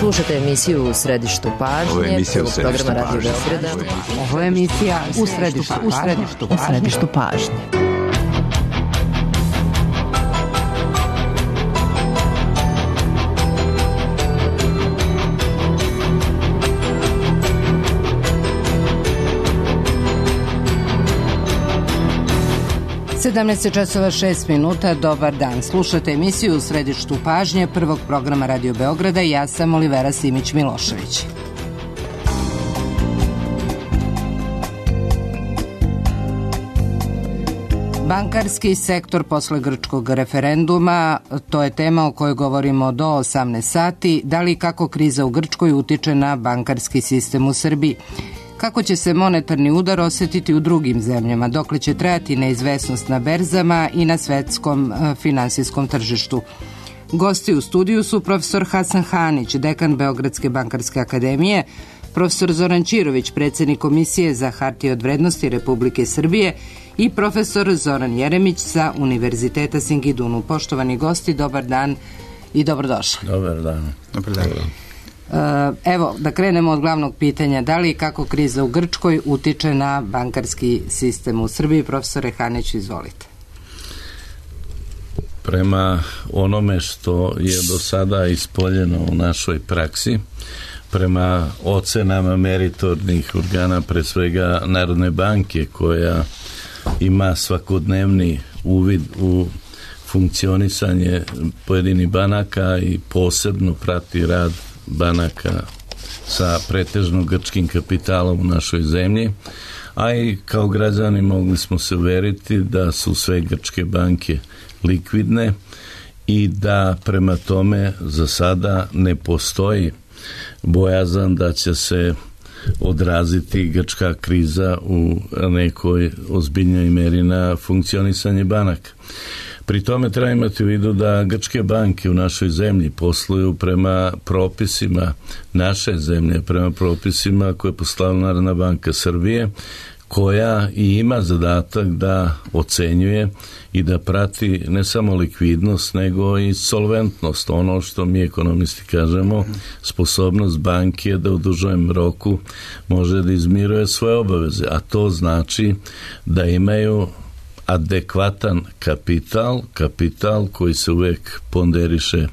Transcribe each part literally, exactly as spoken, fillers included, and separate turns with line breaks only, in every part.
Slušate emisiju U središtu pažnje.
Ovo je emisija U središtu
programa Radio
pažnje.
Beograda.
Ovo je emisija U središtu, u središtu, u središtu pažnje. sedamnaest časova šest minuta, dobar dan. Slušate emisiju U središtu pažnje prvog programa Radio Beograda i ja sam Olivera Simić-Milošević. Bankarski sektor posle grčkog referenduma, to je tema o kojoj govorimo do osamnaest sati. Da li i kako kriza u Grčkoj utiče na bankarski sistem u Srbiji? Kako će se monetarni udar osjetiti u drugim zemljama, dokle će trajati neizvesnost na berzama i na svetskom e, finansijskom tržištu. Gosti u studiju su profesor Hasan Hanić, dekan Beogradske bankarske akademije, profesor Zoran Čirović, predsjednik Komisije za hartije od vrednosti Republike Srbije i profesor Zoran Jeremić sa Univerziteta Singidunu. Poštovani gosti, dobar dan i dobrodošli.
Dobar dan.
Dobar dan.
Evo, da krenemo od glavnog pitanja. Da li i kako kriza u Grčkoj utiče na bankarski sistem u Srbiji? Profesore Hanić, izvolite.
Prema onome što je do sada ispoljeno u našoj praksi, prema ocenama meritornih organa, pre svega Narodne banke, koja ima svakodnevni uvid u funkcionisanje pojedinih banaka i posebno prati rad banaka sa pretežno grčkim kapitalom u našoj zemlji, a i kao građani mogli smo se uveriti da su sve grčke banke likvidne i da prema tome za sada ne postoji bojazan da će se odraziti grčka kriza u nekoj ozbiljnoj meri na funkcionisanje banaka. Pri tome treba imati u vidu da grčke banke u našoj zemlji posluju prema propisima naše zemlje, prema propisima koje je poslala Narodna banka Srbije, koja i ima zadatak da ocenjuje i da prati ne samo likvidnost, nego i solventnost, ono što mi ekonomisti kažemo, sposobnost banke da u dužem roku može da izmiruje svoje obaveze, a to znači da imaju adekvatan kapital, kapital koji se uvek ponderiše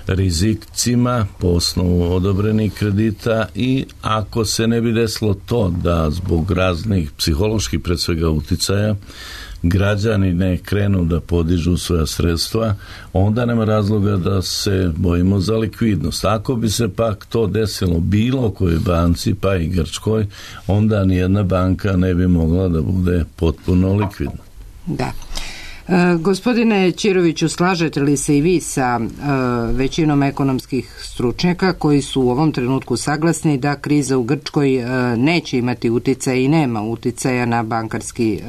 rizicima po osnovu odobrenih kredita i ako se ne bi desilo to da zbog raznih psiholoških pred svega uticaja građani ne krenu da podižu svoja sredstva, onda nema razloga da se bojimo za likvidnost. Ako bi se pak to desilo bilo kojoj banci, pa i Grčkoj, onda nijedna banka ne bi mogla da bude potpuno likvidna.
Da. E, gospodine Čiroviću, slažete li se i vi sa e, većinom ekonomskih stručnjaka koji su u ovom trenutku saglasni da kriza u Grčkoj e, neće imati uticaja i nema uticaja na bankarski e,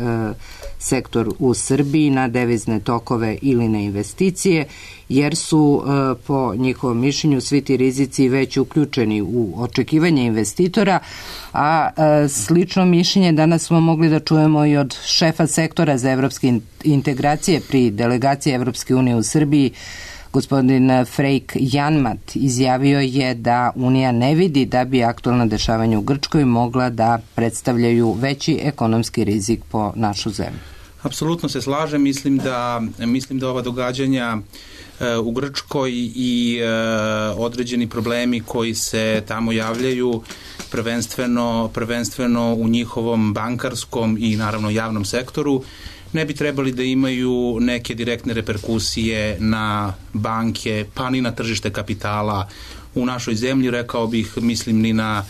sektor u Srbiji, na devizne tokove ili na investicije, jer su e, po njihovom mišljenju svi ti rizici već uključeni u očekivanje investitora, a e, slično mišljenje danas smo mogli da čujemo i od šefa sektora za evropske integracije pri delegaciji Evropske unije u Srbiji. Gospodin Freik Janmat izjavio je da Unija ne vidi da bi aktualna dešavanja u Grčkoj mogla da predstavljaju veći ekonomski rizik po našu zemlju.
Apsolutno se slažem, mislim da, mislim da ova događanja e, u Grčkoj i e, određeni problemi koji se tamo javljaju prvenstveno, prvenstveno u njihovom bankarskom i naravno javnom sektoru ne bi trebali da imaju neke direktne reperkusije na banke, pa ni na tržište kapitala u našoj zemlji, rekao bih, mislim ni na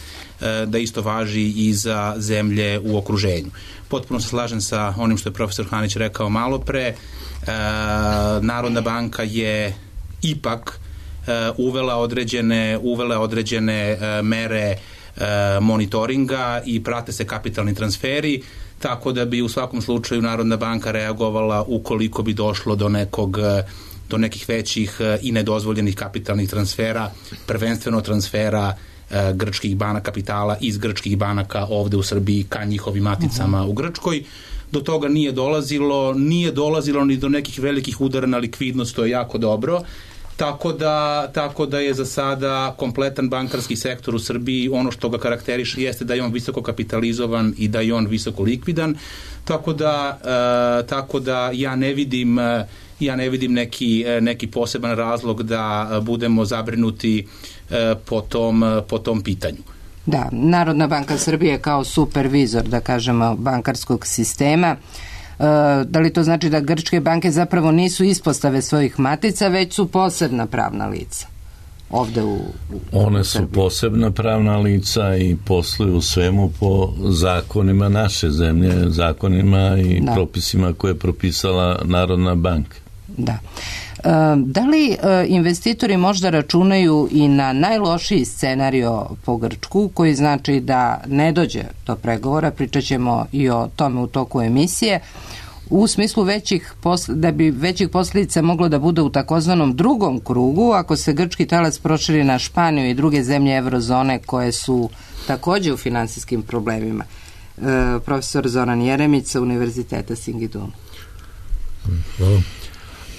da isto važi i za zemlje u okruženju. Potpuno se slažem sa onim što je profesor Hanić rekao malo pre. Narodna banka je ipak uvela određene, uvela određene mere monitoringa i prate se kapitalni transferi, tako da bi u svakom slučaju Narodna banka reagovala ukoliko bi došlo do nekog do nekih većih i nedozvoljenih kapitalnih transfera, prvenstveno transfera e, grčkih banaka kapitala iz grčkih banaka ovde u Srbiji ka njihovim maticama uh-huh. u Grčkoj. Do toga nije dolazilo, nije dolazilo ni do nekih velikih udara na likvidnost, to je jako dobro. Tako da, tako da je za sada kompletan bankarski sektor u Srbiji, ono što ga karakteriše jeste da je on visoko kapitalizovan i da je on visoko likvidan, tako da, e, tako da ja ne vidim, ja ne vidim neki, neki poseban razlog da budemo zabrinuti e, po tom, po tom pitanju.
Da, Narodna banka Srbije kao supervizor, da kažemo, bankarskog sistema. Da li to znači da grčke banke zapravo nisu ispostave svojih matica, već su posebna pravna lica ovde u, u
One su
Srbiji?
Posebna pravna lica i posluju svemu po zakonima naše zemlje, zakonima i da. propisima koje je propisala Narodna banka.
Da. Da li investitori možda računaju i na najlošiji scenario po Grčku, koji znači da ne dođe do pregovora, pričat ćemo i o tome u toku emisije, u smislu većih da bi većih posljedica moglo da bude u takozvanom drugom krugu, ako se grčki talas proširi na Španiju i druge zemlje eurozone koje su takođe u finansijskim problemima. Profesor Zoran Jeremić sa Univerziteta Singidunum.
Hvala.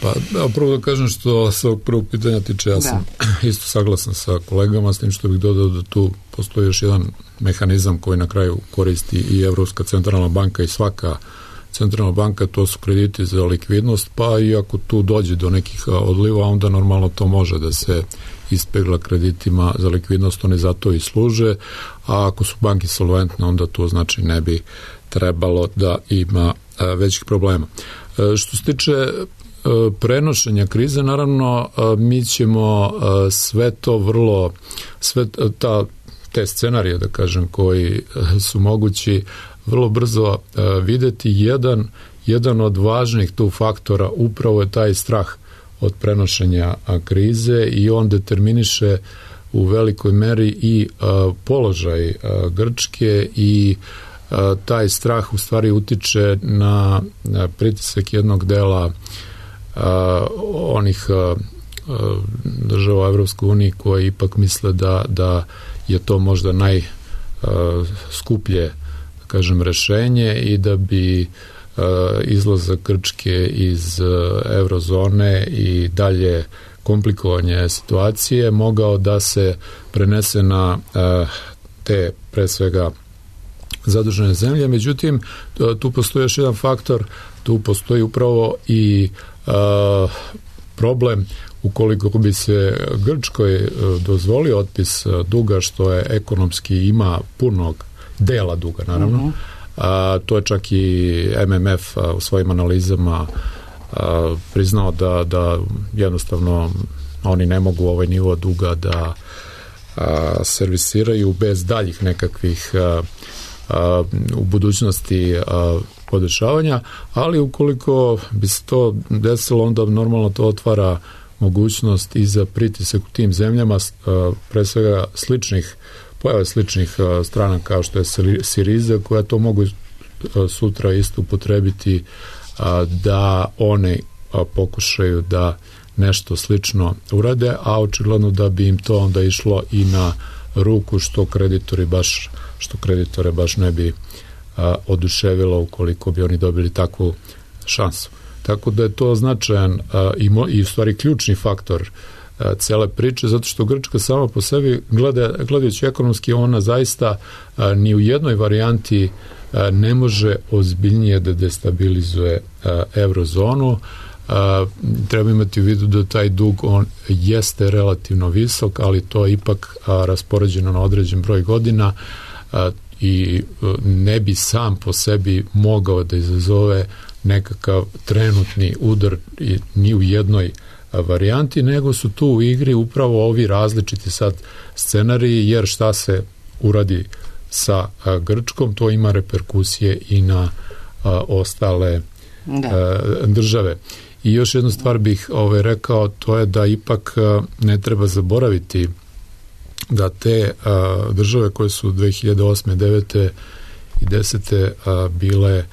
Pa da, prvo da kažem što se ovog prvog pitanja tiče, ja da. sam isto saglasan sa kolegama, s tim što bih dodao da tu postoji još jedan mehanizam koji na kraju koristi i Evropska centralna banka i svaka centralna banka, to su krediti za likvidnost, pa i ako tu dođe do nekih odliva, onda normalno to može da se ispegla kreditima za likvidnost, oni zato i služe, a ako su banke solventne, onda to znači ne bi trebalo da ima većih problema. Što se tiče prenošenja krize, naravno mi ćemo sve to vrlo, sve ta, te scenarije, da kažem, koji su mogući vrlo brzo videti. Jedan, jedan od važnih tu faktora upravo je taj strah od prenošenja krize i on determiniše u velikoj meri i položaj Grčke i taj strah u stvari utiče na pritisak jednog dela Uh, onih uh, država Evropske unije koje ipak misle da, da je to možda najskuplje, da kažem, rešenje i da bi uh, izlazak Grčke iz uh, eurozone i dalje komplikovanje situacije mogao da se prenese na uh, te, pre svega, zadužene zemlje. Međutim, tu postoji još jedan faktor, tu postoji upravo i Uh, problem ukoliko bi se Grčkoj uh, dozvolio otpis uh, duga, što je ekonomski ima punog dela duga, naravno. Uh-huh. Uh, to je čak i M M F uh, u svojim analizama uh, priznao da, da jednostavno oni ne mogu ovaj nivo duga da uh, servisiraju bez daljih nekakvih uh, uh, u budućnosti uh, podešavanja, ali ukoliko bi se to desilo, onda normalno to otvara mogućnost i za pritisak u tim zemljama, pre svega sličnih, pojave sličnih strana kao što je Siriza, koja to mogu sutra isto upotrebiti da one pokušaju da nešto slično urade, a očigledno da bi im to onda išlo i na ruku, što kreditori baš, što kreditore baš ne bi oduševilo ukoliko bi oni dobili takvu šansu. Tako da je to značajan i, i u stvari ključni faktor cele priče, zato što Grčka sama po sebi, gleda, gledajući ekonomski, ona zaista ni u jednoj varijanti ne može ozbiljnije da destabilizuje eurozonu. Treba imati u vidu da taj dug, on jeste relativno visok, ali to je ipak raspoređeno na određen broj godina i ne bi sam po sebi mogao da izazove nekakav trenutni udar ni u jednoj varijanti, nego su tu u igri upravo ovi različiti sad scenariji, jer šta se uradi sa Grčkom, to ima reperkusije i na a, ostale a, države. I još jednu stvar bih ovaj, rekao, to je da ipak a, ne treba zaboraviti da te a, države koje su dve hiljade osme, devete i desete a, bile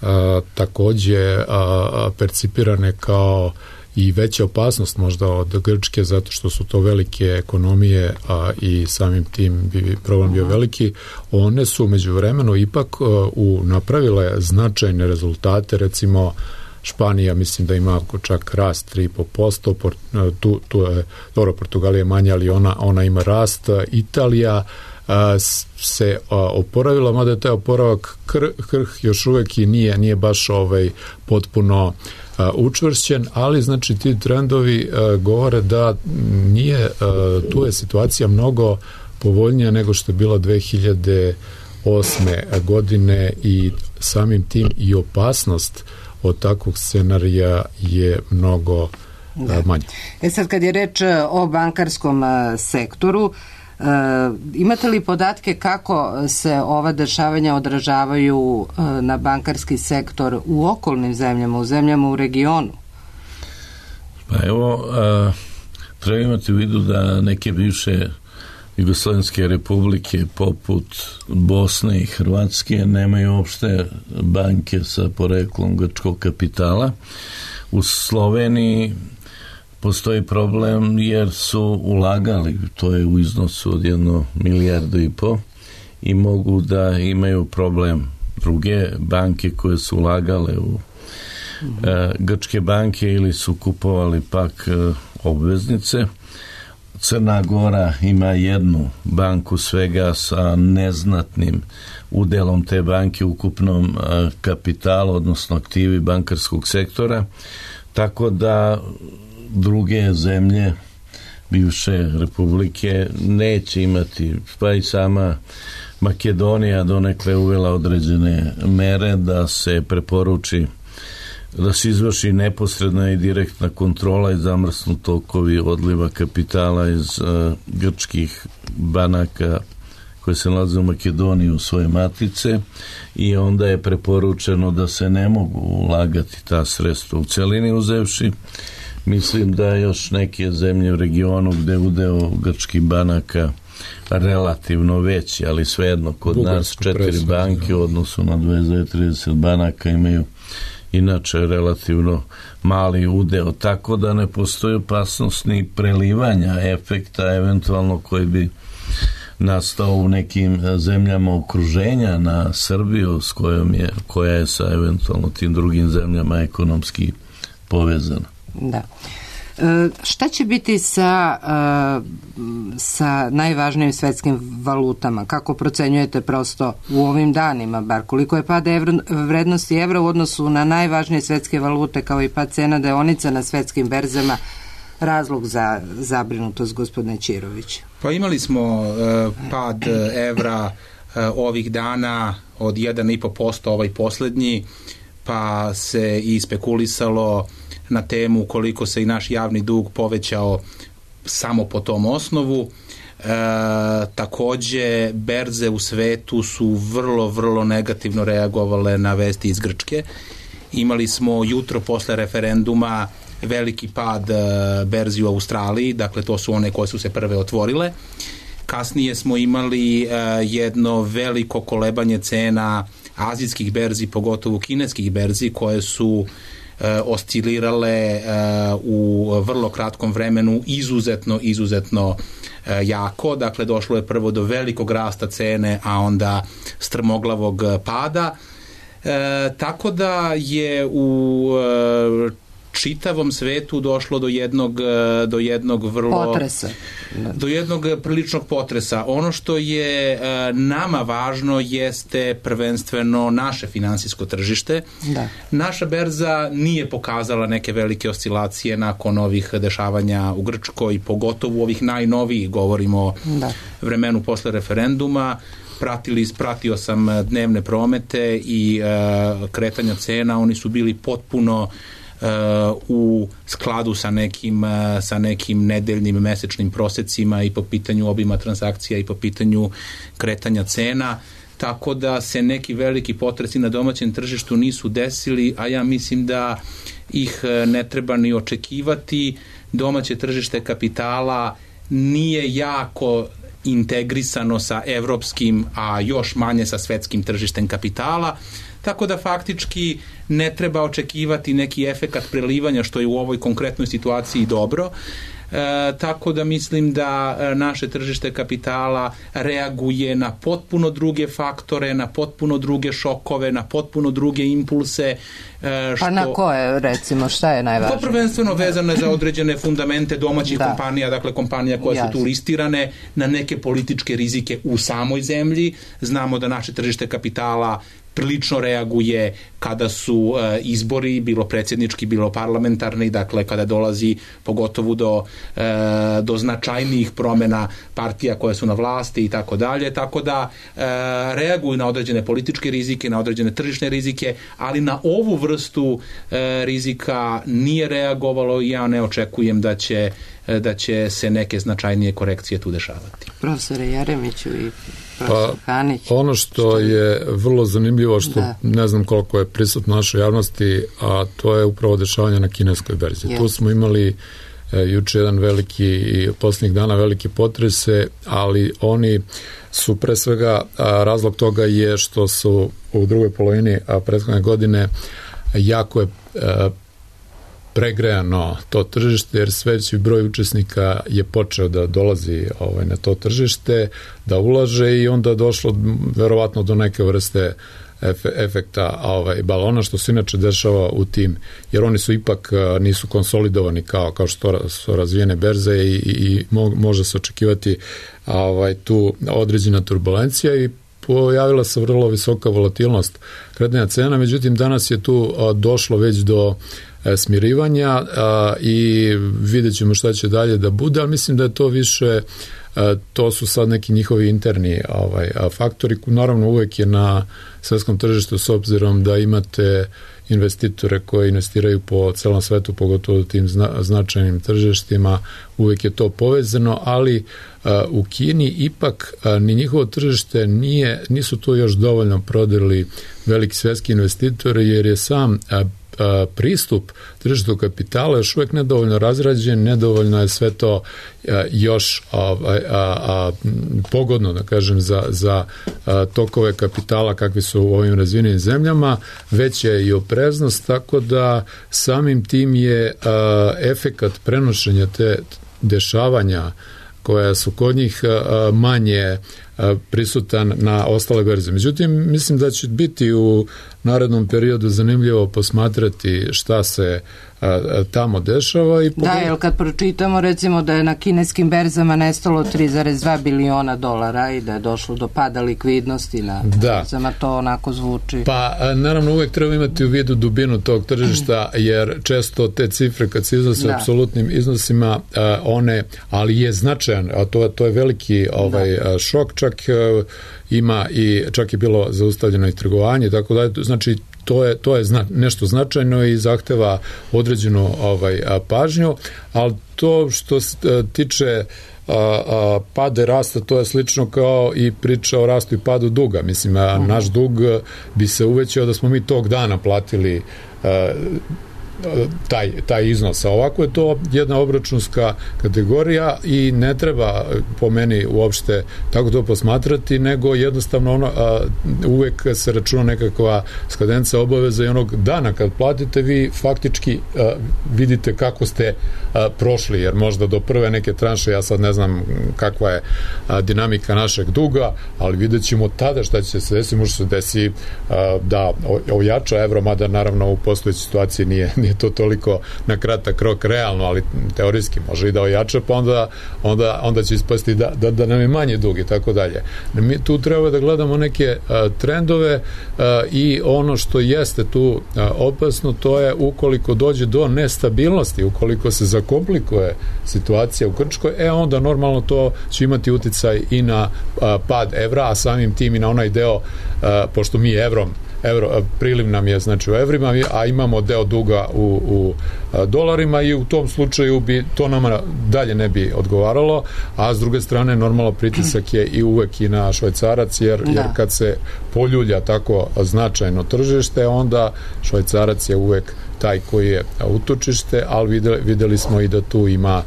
a, takođe a, a, percipirane kao i veća opasnost možda od Grčke, zato što su to velike ekonomije, a i samim tim bi problem bio veliki. One su međuvremeno ipak uh, u, napravile značajne rezultate, recimo Španija mislim da ima čak rast tri i po posto, tu, tu je, dobro, Portugalija je manja, ali ona, ona ima rast. Italija a, se a, oporavila, mada je taj oporavak kr, krh još uvek i nije, nije baš ovaj, potpuno a, učvršćen, ali znači ti trendovi a, govore da nije, a, tu je situacija mnogo povoljnija nego što je bila dve hiljade osme godine i samim tim i opasnost od takvog scenarija je mnogo da. manje.
E sad kad je reč o bankarskom sektoru, e, imate li podatke kako se ova dešavanja odražavaju na bankarski sektor u okolnim zemljama, u zemljama u regionu?
Pa evo, a, treba imati u vidu da neke bivše Jugoslovenske republike poput Bosne i Hrvatske nemaju uopšte banke sa poreklom grčkog kapitala. U Sloveniji postoji problem jer su ulagali, to je u iznosu od jedno milijardu i po, i mogu da imaju problem druge banke koje su ulagale u mm-hmm. e, grčke banke ili su kupovali pak e, obveznice. Crna Gora ima jednu banku svega sa neznatnim udelom te banke u ukupnom kapitalu, odnosno aktivi bankarskog sektora, tako da druge zemlje bivše republike neće imati, pa i sama Makedonija donekle uvela određene mere da se preporuči da se izvrši neposredna i direktna kontrola i zamrsnu tokovi odliva kapitala iz uh, grčkih banaka koje se nalaze u Makedoniji u svoje matice, i onda je preporučeno da se ne mogu ulagati ta sredstva u celini uzevši. Mislim da još neke zemlje u regionu gde udeo grčkih banaka relativno veći, ali svejedno kod Bugarsko nas četiri presno, banke u odnosu na dvadeset do trideset banaka imaju inače relativno mali udeo, tako da ne postoji opasnost ni prelivanja efekta eventualno koji bi nastao u nekim zemljama okruženja na Srbiju s kojom je, koja je sa eventualno tim drugim zemljama ekonomski povezana.
Da. E, šta će biti sa, e, sa najvažnijim svetskim valutama? Kako procenjujete prosto u ovim danima, bar koliko je pad evro, vrednosti evra u odnosu na najvažnije svetske valute, kao i pad cena deonica na svetskim berzama, razlog za zabrinutost, gospodine Ćirović?
Pa imali smo e, pad evra e, ovih dana od jedan i po posto ovaj poslednji, pa se i spekulisalo na temu koliko se i naš javni dug povećao samo po tom osnovu. E, takođe, berze u svetu su vrlo, vrlo negativno reagovale na vesti iz Grčke. Imali smo jutro posle referenduma veliki pad e, berzi u Australiji, dakle to su one koje su se prve otvorile. Kasnije smo imali e, jedno veliko kolebanje cena azijskih berzi, pogotovo kineskih berzi, koje su e, oscilirale e, u vrlo kratkom vremenu izuzetno, izuzetno e, jako. Dakle, došlo je prvo do velikog rasta cene, a onda strmoglavog pada. E, tako da je u e, čitavom svetu došlo do jednog, do jednog vrlo...
Potresa.
Do jednog priličnog potresa. Ono što je e, nama važno jeste prvenstveno naše finansijsko tržište. Da. Naša berza nije pokazala neke velike oscilacije nakon ovih dešavanja u Grčkoj, pogotovo ovih najnovijih, govorimo o da. vremenu posle referenduma. Pratili, pratio sam dnevne promete i e, kretanja cena, oni su bili potpuno Uh, u skladu sa nekim, uh, sa nekim nedeljnim mesečnim prosecima i po pitanju obima transakcija i po pitanju kretanja cena, tako da se neki veliki potresi na domaćem tržištu nisu desili, a ja mislim da ih ne treba ni očekivati. Domaće tržište kapitala nije jako integrisano sa evropskim, a još manje sa svetskim tržištem kapitala, tako da faktički ne treba očekivati neki efekat prelivanja, što je u ovoj konkretnoj situaciji dobro. E, tako da mislim da naše tržište kapitala reaguje na potpuno druge faktore, na potpuno druge šokove, na potpuno druge impulse.
Što... Pa na koje, recimo, šta je najvažnije?
To prvenstveno vezano je za određene fundamente domaćih da. kompanija, dakle kompanija koje Jasne. su tu listirane, na neke političke rizike u samoj zemlji. Znamo da naše tržište kapitala prilično reaguje kada su e, izbori, bilo predsjednički, bilo parlamentarni, dakle kada dolazi pogotovo do, e, do značajnijih promjena partija koje su na vlasti i tako dalje, tako da e, reaguju na određene političke rizike, na određene tržišne rizike, ali na ovu vrstu e, rizika nije reagovalo i ja ne očekujem da će, da će se neke značajnije korekcije tu dešavati.
Profesore Jeremiću i
Pa, ono što je vrlo zanimljivo, što da. ne znam koliko je prisutno u našoj javnosti, a to je upravo dešavanje na kineskoj berzi. Yes. Tu smo imali e, juče jedan veliki i posljednjih dana velike potrese, ali oni su pre svega, a, razlog toga je što su u drugoj polovini a, prethodne godine jako je a, pregrejano to tržište, jer sve veći broj učesnika je počeo da dolazi ovaj, na to tržište, da ulaže i onda došlo verovatno do neke vrste efe, efekta ovaj, balona, što se inače dešava u tim, jer oni su ipak nisu konsolidovani kao, kao što su razvijene berze i, i, i može se očekivati ovaj, tu određena turbulencija i pojavila se vrlo visoka volatilnost kretanja cena, međutim danas je tu a, došlo već do smirivanja a, i vidjet ćemo šta će dalje da bude, ali mislim da je to više, a, to su sad neki njihovi interni ovaj, a, faktori. Naravno uvek je na svetskom tržištu, s obzirom da imate investitore koji investiraju po celom svetu, pogotovo u tim zna, značajnim tržištima, uvek je to povezano, ali a, u Kini ipak a, ni njihovo tržište nije, nisu to još dovoljno prodali veliki svetski investitori, jer je sam a, pristup tržištu kapitala još uvijek nedovoljno razrađen, nedovoljno je sve to još a, a, a, pogodno, da kažem, za, za a, tokove kapitala kakvi su u ovim razvijenim zemljama, već je i opreznost, tako da samim tim je a, efekat prenošenja te dešavanja koja su kod njih a, manje a, prisutan na ostale berze. Međutim, mislim da će biti u narednom periodu zanimljivo posmatrati šta se a, a, tamo dešava. I
pogled... Da, jer kad pročitamo recimo da je na kineskim berzama nestalo tri zarez dva biliona dolara i da je došlo do pada likvidnosti na da. berzama, to onako zvuči.
Pa, a, naravno, uvek treba imati u vidu dubinu tog tržišta, jer često te cifre kad se iznose da. apsolutnim iznosima, a, one, ali je značajan, a to, to je veliki ovaj, a, šok, čak a, ima i čak je bilo zaustavljeno i trgovanje, tako da, znači to je, to je zna, nešto značajno i zahteva određenu ovaj, a, pažnju, ali to što se tiče a, a, pade rasta, to je slično kao i priča o rastu i padu duga. Mislim, a, naš dug bi se uvećao da smo mi tog dana platili a, taj, taj iznos. A ovako je to jedna obračunska kategorija i ne treba po meni uopšte tako to posmatrati, nego jednostavno ono, a, uvek se računa nekakva skadenca obaveza i onog dana kad platite vi faktički a, vidite kako ste a, prošli, jer možda do prve neke tranše, ja sad ne znam kakva je a, dinamika našeg duga, ali vidjet ćemo tada šta će se desiti. Može se desi a, da ojača evro, mada naravno u postojećoj situaciji nije nije to toliko na kratak rok realno, ali teorijski može i da ojača, pa onda, onda, onda će ispasti da, da, da nam je manje dug i tako dalje. Mi tu treba da gledamo neke a, trendove a, i ono što jeste tu a, opasno, to je ukoliko dođe do nestabilnosti, ukoliko se zakomplikuje situacija u Grčkoj, e onda normalno to će imati uticaj i na a, pad evra, a samim tim i na onaj deo, a, pošto mi evrom Euro, priliv nam je znači u evrima, a imamo deo duga u, u a, dolarima i u tom slučaju bi to nama dalje ne bi odgovaralo, a s druge strane normalno pritisak je i uvek i na švajcarac, jer, jer kad se poljulja tako značajno tržište, onda švajcarac je uvek taj koji je utočište, ali videli, videli smo i da tu ima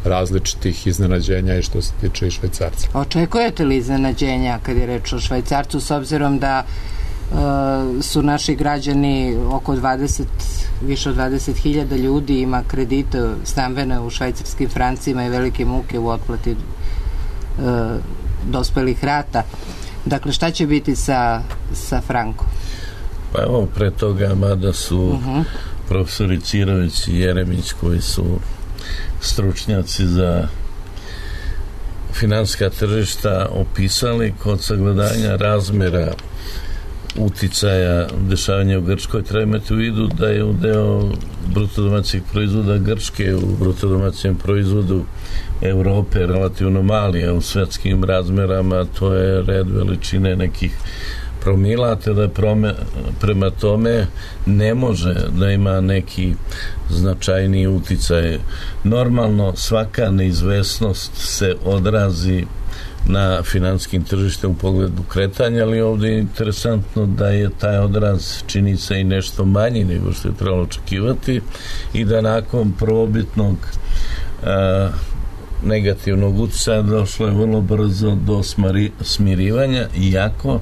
različitih iznenađenja i što se tiče i švajcarca.
Očekujete li iznenađenja kad je reč o švajcarcu, s obzirom da su naši građani oko dvadeset, više od dvadeset hiljada ljudi ima kredite stambene u švajcarskim francima i velike muke u otplati dospelih rata. Dakle, šta će biti sa, sa frankom?
Pa evo, pre toga, mada su uh-huh. profesori Cirović i Jeremić, koji su stručnjaci za finansijska tržišta, opisali kod sagledanja razmera uticaja dešavanja u Grčkoj, treba imati u vidu da je udeo bruto domaćeg proizvoda Grčke u bruto domaćem proizvodu Evrope relativno mali, a u svetskim razmerama to je red veličine nekih promila, te da prome, prema tome ne može da ima neki značajniji uticaj. Normalno svaka neizvesnost se odrazi na finansijskim tržištem u pogledu kretanja, ali ovdje je interesantno da je taj odraz čini se i nešto manji nego što je trebalo očekivati i da nakon probitnog a, negativnog utjecaja došlo je vrlo brzo do smari, smirivanja, iako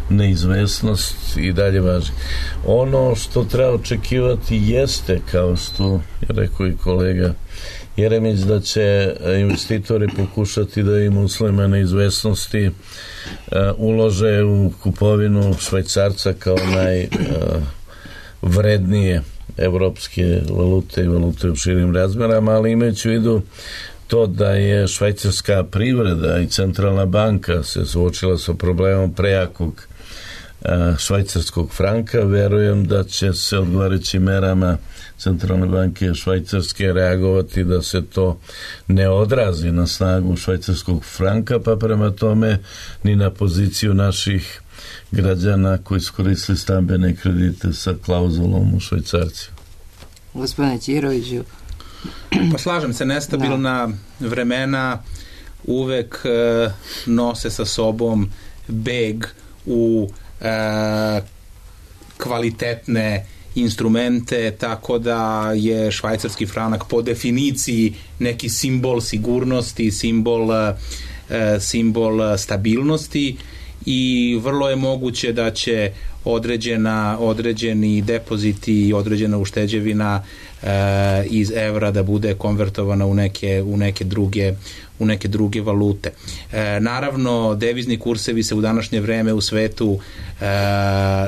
neizvesnost i dalje važi. Ono što treba očekivati jeste, kao što je rekao i kolega Jeremić, da će investitori pokušati da im uslovima neizvesnosti uh, ulože u kupovinu švajcarca kao najvrednije uh, evropske valute i valute u širim razmerama, ali imajući u vidu to da je švajcarska privreda i centralna banka se suočila sa problemom prejakog švajcarskog franka, verujem da će se odgovarajućim merama centralne banke švajcarske reagovati da se to ne odrazi na snagu švajcarskog franka, pa prema tome ni na poziciju naših građana koji su koristili stambene kredite sa klauzulom u švajcarcima.
Gospodine Ćiroviću.
Pa slažem se, nestabilna da. vremena uvek e, nose sa sobom beg u e, kvalitetne instrumente, tako da je švajcarski franak po definiciji neki simbol sigurnosti, simbol, e, simbol stabilnosti i vrlo je moguće da će određena, određeni depoziti i određena ušteđevina e, iz evra da bude konvertovana u neke, u neke druge u neke druge valute. E, naravno, devizni kursevi se u današnje vreme u svetu e,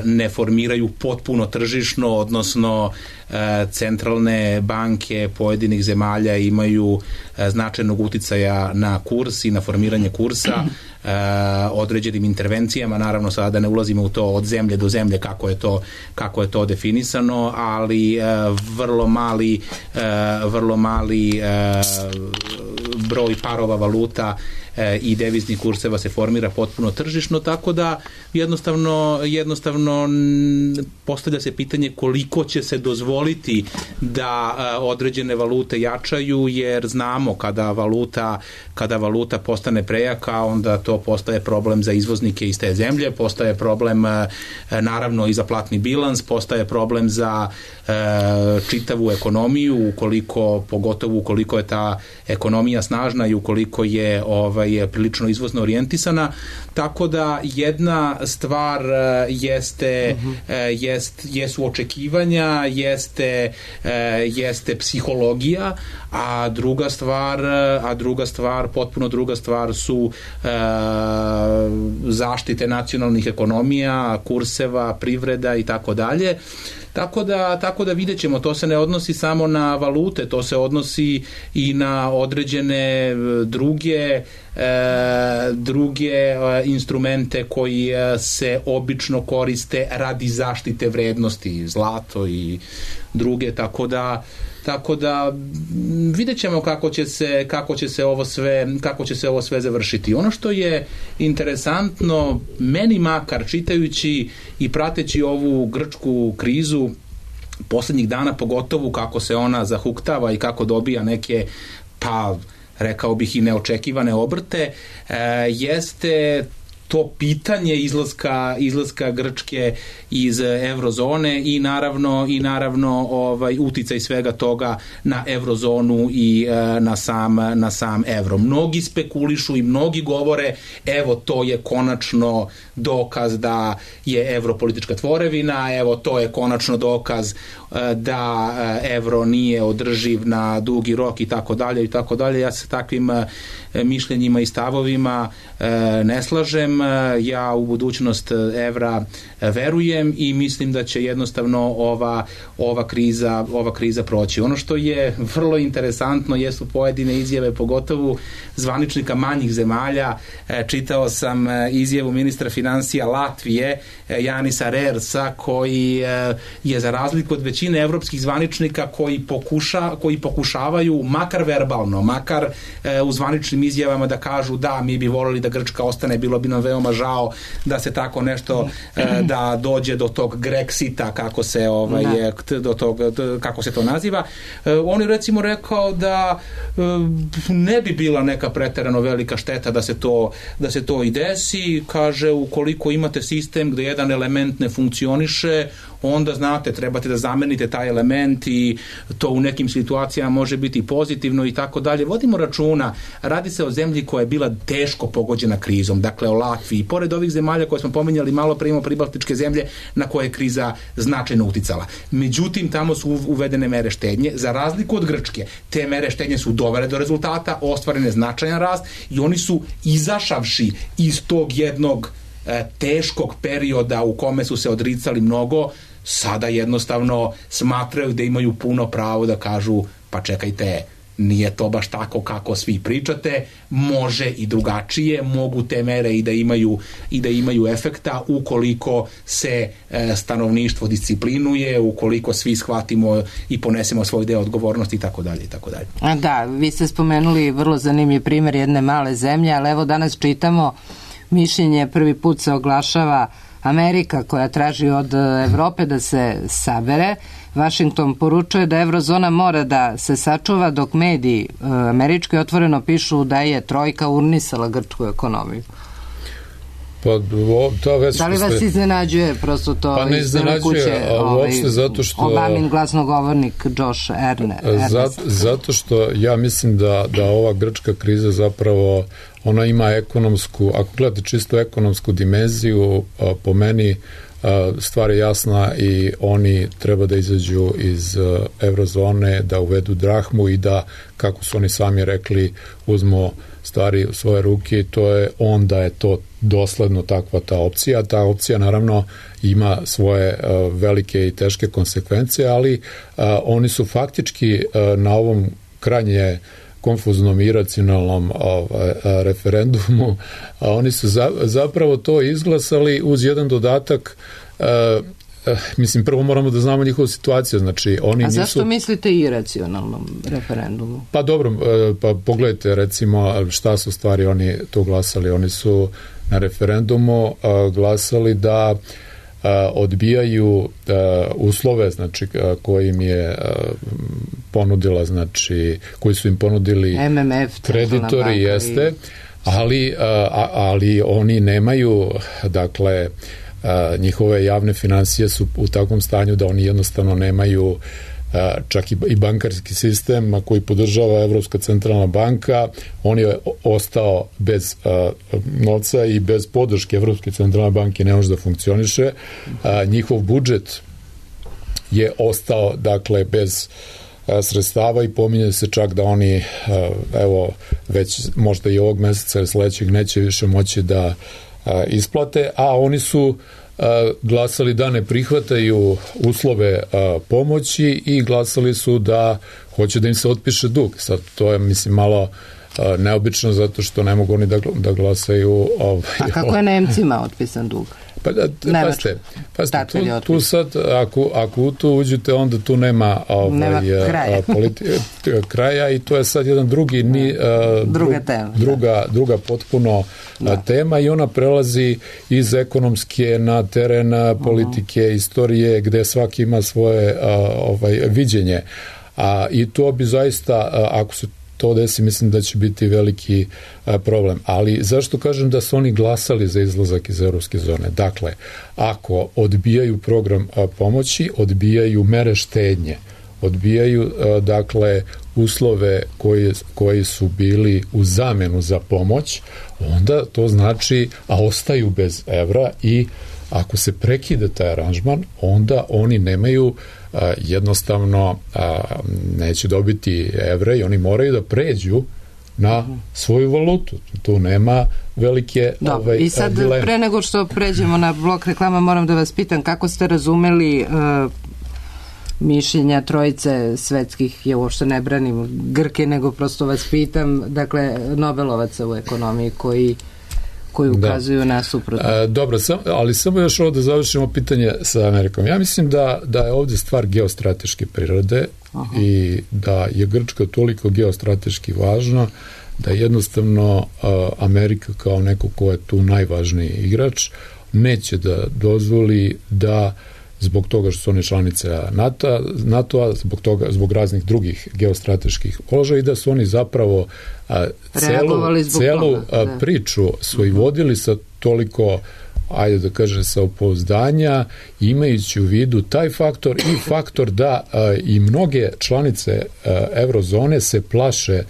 ne formiraju potpuno tržišno, odnosno e, centralne banke pojedinih zemalja imaju e, značajnog uticaja na kurs i na formiranje kursa e, određenim intervencijama. Naravno, sada da ne ulazimo u to od zemlje do zemlje kako je to, kako je to definisano, ali e, vrlo mali e, vrlo mali e, broj parova valuta e, i deviznih kurseva se formira potpuno tržišno, tako da jednostavno, jednostavno postavlja se pitanje koliko će se dozvoliti da e, određene valute jačaju, jer znamo kada valuta, kada valuta postane prejaka, onda to postaje problem za izvoznike iz te zemlje, postaje problem e, naravno i za platni bilans, postaje problem za e, čitavu ekonomiju, ukoliko, pogotovo ukoliko je ta ekonomija snažna i ukoliko je ovaj, prilično izvozno orijentisana, tako da jedna stvar jeste, uh-huh. jest, jesu očekivanja, jeste, jeste psihologija, a druga stvar, a druga stvar, potpuno druga stvar su e, zaštite nacionalnih ekonomija, kurseva, privreda i tako dalje. Tako da, tako da vidjet ćemo, to se ne odnosi samo na valute, to se odnosi i na određene druge, e, druge e, instrumente koji e, se obično koriste radi zaštite vrednosti, zlato i druge, tako da Tako da vidjet ćemo kako će se, kako će se ovo sve, kako će se ovo sve završiti. Ono što je interesantno, meni makar čitajući i prateći ovu grčku krizu poslednjih dana, pogotovo kako se ona zahuktava i kako dobija neke, pa rekao bih i neočekivane obrte, e, jeste to pitanje izlaska, izlaska Grčke iz eurozone i naravno i naravno ovaj uticaj svega toga na eurozonu i e, na sam na sam evro. Mnogi spekulišu i mnogi govore evo to je konačno dokaz da je evro politička tvorevina, evo to je konačno dokaz e, da evro nije održiv na dugi rok i tako dalje i tako dalje. Ja se takvim e, mišljenjima i stavovima e, ne slažem. Ja u budućnost evra verujem i mislim da će jednostavno ova, ova, kriza, ova kriza proći. Ono što je vrlo interesantno jesu pojedine izjave, pogotovo zvaničnika manjih zemalja. Čitao sam izjavu ministra financija Latvije, Janisa Rersa, koji je za razliku od većine evropskih zvaničnika koji, pokuša, koji pokušavaju, makar verbalno, makar u zvaničnim izjavama da kažu da, mi bi volili da Grčka ostane, bilo bi nam veoma žao da se tako nešto, da dođe do tog Grexita, kako se ovaj do tog, kako se to naziva. On je recimo rekao da ne bi bila neka preterano velika šteta da se to da se to i desi. Kaže, ukoliko imate sistem gde jedan element ne funkcioniše, onda znate, trebate da zamenite taj element i to u nekim situacijama može biti pozitivno i tako dalje. Vodimo računa, radi se o zemlji koja je bila teško pogođena krizom, dakle o Latviji. Pored ovih zemalja koje smo pominjali malo pre, imamo pribaltičke zemlje na koje je kriza značajno uticala. Međutim, tamo su uvedene mere štednje. Za razliku od Grčke, te mere štednje su dovele do rezultata, ostvarene značajan rast i oni su izašavši iz tog jednog e, teškog perioda u kome su se odricali mnogo, sada jednostavno smatraju da imaju puno pravo da kažu pa čekajte, nije to baš tako kako svi pričate, može i drugačije, mogu te mere i da imaju i da imaju efekta ukoliko se e, stanovništvo disciplinuje, ukoliko svi shvatimo i ponesemo svoj deo odgovornosti i tako dalje i tako dalje.
A da, vi ste spomenuli vrlo zanimljiv primjer jedne male zemlje, ali evo danas čitamo mišljenje, prvi put se oglašava Amerika koja traži od Evrope da se sabere. Washington poručuje da eurozona mora da se sačuva, dok mediji američki otvoreno pišu da je trojka urnisala grčku ekonomiju.
Pa, o, ta već
da li vas ste... iznenađuje prosto to
pa ne
iz Bele kuće,
ovaj, zato što
Obamin glasnogovornik Josh Erne,
Ernest? Zato što ja mislim da, da ova grčka kriza zapravo ona ima ekonomsku, ako gledate čisto ekonomsku dimenziju, po meni stvar je jasna i oni treba da izađu iz eurozone, da uvedu drahmu i da, kako su oni sami rekli, uzmu stvari u svoje ruke, to je onda je to dosledno takva ta opcija. Ta opcija naravno ima svoje uh, velike i teške konsekvence, ali uh, oni su faktički uh, na ovom krajnje konfuznom i iracionalnom ovaj, referendumu, a oni su za, zapravo to izglasali uz jedan dodatak. Uh, mislim, prvo moramo da znamo njihovu situaciju, znači oni
a zašto
nisu...
mislite iracionalnom referendumu?
Pa dobro, pa pogledajte recimo šta su stvari oni tu glasali. Oni su na referendumu glasali da odbijaju uslove, znači koji im je ponudila, znači koji su im ponudili
M M F,
kreditori, jeste, ali, ali oni nemaju, dakle, njihove javne finansije su u takvom stanju da oni jednostavno nemaju čak i bankarski sistem koji podržava Evropska centralna banka, on je ostao bez novca i bez podrške Evropske centralne banke ne može da funkcioniše. Njihov budžet je ostao, dakle, bez sredstava i pominje se čak da oni, evo, već možda i ovog meseca ili sledećeg neće više moći da isplate, a oni su glasali da ne prihvataju uslove pomoći i glasali su da hoće da im se otpiše dug. Sad to je, mislim, malo neobično zato što ne mogu oni da, da glasaju ovaj,
a kako je Nemcima otpisan dug?
Pa da, paste, paste tu, tu sad, ako, ako u to uđete, onda tu nema, ovaj,
nema kraja.
Politi, kraja i to je sad jedan drugi ni, uh,
druga tema,
druga, druga potpuno da. tema i ona prelazi iz ekonomske na teren politike, uh-huh. istorije, gde svaki ima svoje uh, ovaj, viđenje. A, i to bi zaista, uh, ako se to desi, mislim da će biti veliki a, problem. Ali zašto kažem da su oni glasali za izlazak iz evropske zone? Dakle, ako odbijaju program a, pomoći, odbijaju mere štednje, odbijaju a, dakle uslove koji, koji su bili u zamenu za pomoć, onda to znači, a ostaju bez evra i ako se prekide taj aranžman, onda oni nemaju a, jednostavno a, neće dobiti evre i oni moraju da pređu na svoju valutu. Tu nema velike
da,
ovaj,
i sad
dileme.
Pre nego što pređemo na blok reklama, moram da vas pitam kako ste razumeli uh, mišljenja trojice svetskih, ja uopšte ne branim Grke, nego prosto vas pitam, dakle, Nobelovaca u ekonomiji koji koji ukazuju da. na suprotno.
A, dobro, sam, ali samo još ovdje završimo pitanje sa Amerikom. Ja mislim da, da je ovdje stvar geostrateške prirode. Aha. I da je Grčka toliko geostrateški važna da jednostavno a, Amerika kao neko ko je tu najvažniji igrač neće da dozvoli da zbog toga što su one članice NATO, NATO-a, zbog toga, zbog raznih drugih geostrateških položaja i da su oni zapravo a, celu, celu a, priču su i vodili sa toliko, ajde da kažem, samopouzdanja, imajući u vidu taj faktor i faktor da a, i mnoge članice a, eurozone se plaše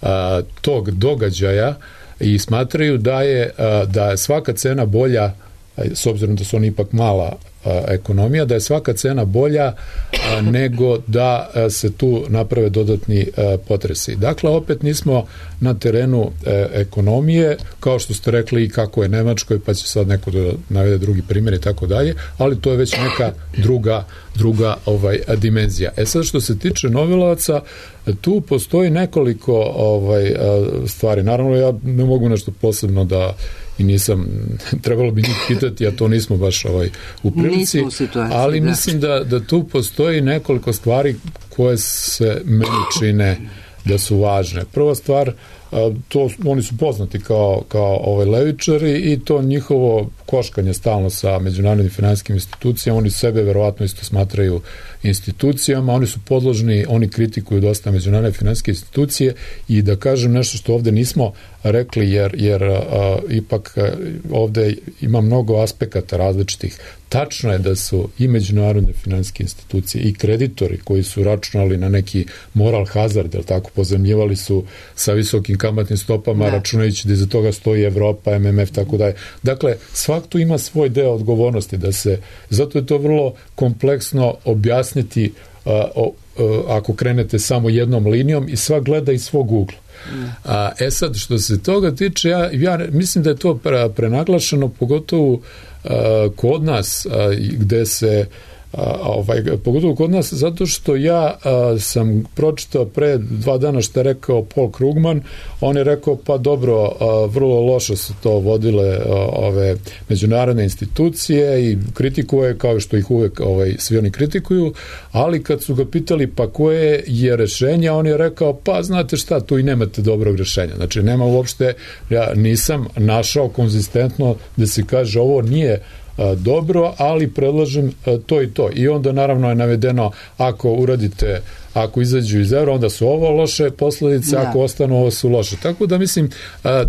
a, tog događaja i smatraju da je, a, da je svaka cena bolja, a, s obzirom da su oni ipak mala ekonomija, da je svaka cena bolja a, nego da a, se tu naprave dodatni a, potresi. Dakle, opet nismo na terenu a, ekonomije, kao što ste rekli i kako je Nemačkoj, pa će sad neko da navede drugi primjer i tako dalje, ali to je već neka druga, druga ovaj, dimenzija. E sad, što se tiče Nobelovaca, tu postoji nekoliko ovaj, stvari. Naravno, ja ne mogu nešto posebno da i nisam, trebalo bi njih pitati, a to nismo baš ovaj, u prilici, u situaciji, ali da. Mislim da, da tu postoji nekoliko stvari koje se meni čine da su važne. Prva stvar, to, oni su poznati kao, kao ovaj levičari i to njihovo koškanje stalno sa međunarodnim finansijskim institucijama, oni sebe verovatno isto smatraju institucijama, oni su podložni, oni kritikuju dosta međunarodne finansijske institucije i da kažem nešto što ovde nismo rekli, jer, jer a, ipak a, ovde ima mnogo aspekata različitih. Tačno je da su i međunarodne finansijske institucije i kreditori koji su računali na neki moral hazard, jer tako pozemljivali su sa visokim kamatnim stopama, da. Računajući da iza toga stoji Evropa, M M F, tako dalje. Dakle, svak tu ima svoj deo odgovornosti, da se, zato je to vrlo kompleksno objasniti uh, uh, ako krenete samo jednom linijom i svak gleda iz svog ugla. A, e sad, što se toga tiče, ja, ja mislim da je to prenaglašeno, pogotovo a, kod nas, a, gde se a, ovaj, pogotovo kod nas, zato što ja a, sam pročitao pre dva dana što je rekao Paul Krugman, on je rekao, pa dobro, a, vrlo loše su to vodile a, ove međunarodne institucije i kritikuje, kao što ih uvek ovaj, svi oni kritikuju, ali kad su ga pitali pa koje je rešenje, on je rekao, pa znate šta, tu i nemate dobrog rešenja. Znači, nema uopšte, ja nisam našao konzistentno da se kaže ovo nije dobro, ali predlažem to i to. I onda naravno je navedeno ako uradite, ako izađu iz evra, onda su ovo loše posledice, da. Ako ostanu, ovo su loše. Tako da mislim,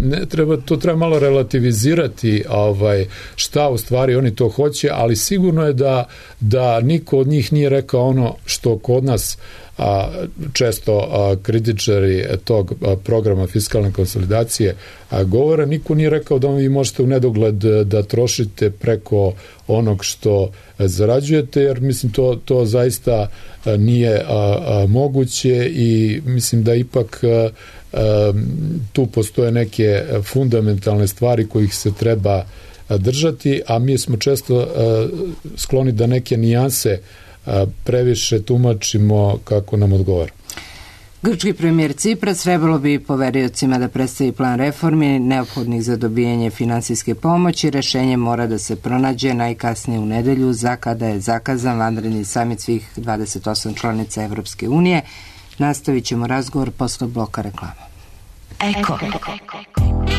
ne treba, to treba malo relativizirati ovaj, šta u stvari oni to hoće, ali sigurno je da, da niko od njih nije rekao ono što kod nas a, često a, kritičari tog a, programa fiskalne konsolidacije a, govore, niko nije rekao da vi možete u nedogled da trošite preko onog što zarađujete, jer mislim to, to zaista a, nije a, a, moguće i mislim da ipak a, a, tu postoje neke fundamentalne stvari kojih se treba a, držati, a mi smo često a, skloni da neke nijanse a, previše tumačimo kako nam odgovara.
Grčki premijer Cipras trebalo bi poveriocima da predstavi plan reformi neophodnih za dobijanje finansijske pomoći. Rešenje mora da se pronađe najkasnije u nedelju, za kada je zakazan vanredni samit svih dvadeset osam članica Evropske unije. Nastavit ćemo razgovor posle bloka reklama.
Eko.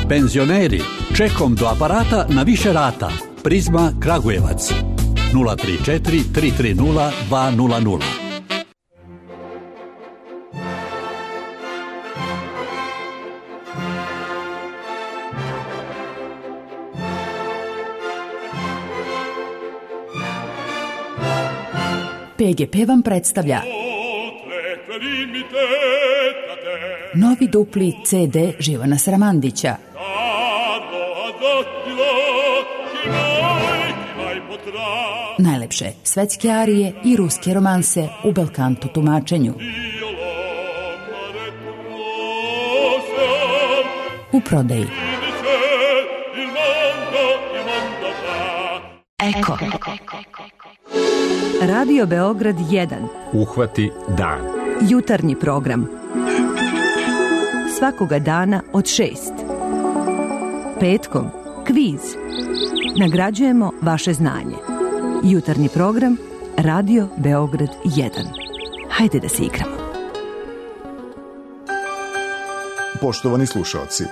Penzioneri, čekom do aparata na više rata. Prizma Kragujevac. nula tri četiri tri tri nula dva nula nula.
P G P vam predstavlja novi dupli C D Živana Saramandića. Najlepše svetske arije i ruske romanse u belkanto tumačenju. U prodaji. Eko.
Radio Beograd jedan.
Uhvati dan.
Jutarnji program. Svakoga dana od šest. Petkom kviz. Nagrađujemo vaše znanje. Jutarnji program Radio Beograd jedan. Hajde da se igramo.
Poštovani slušaoci,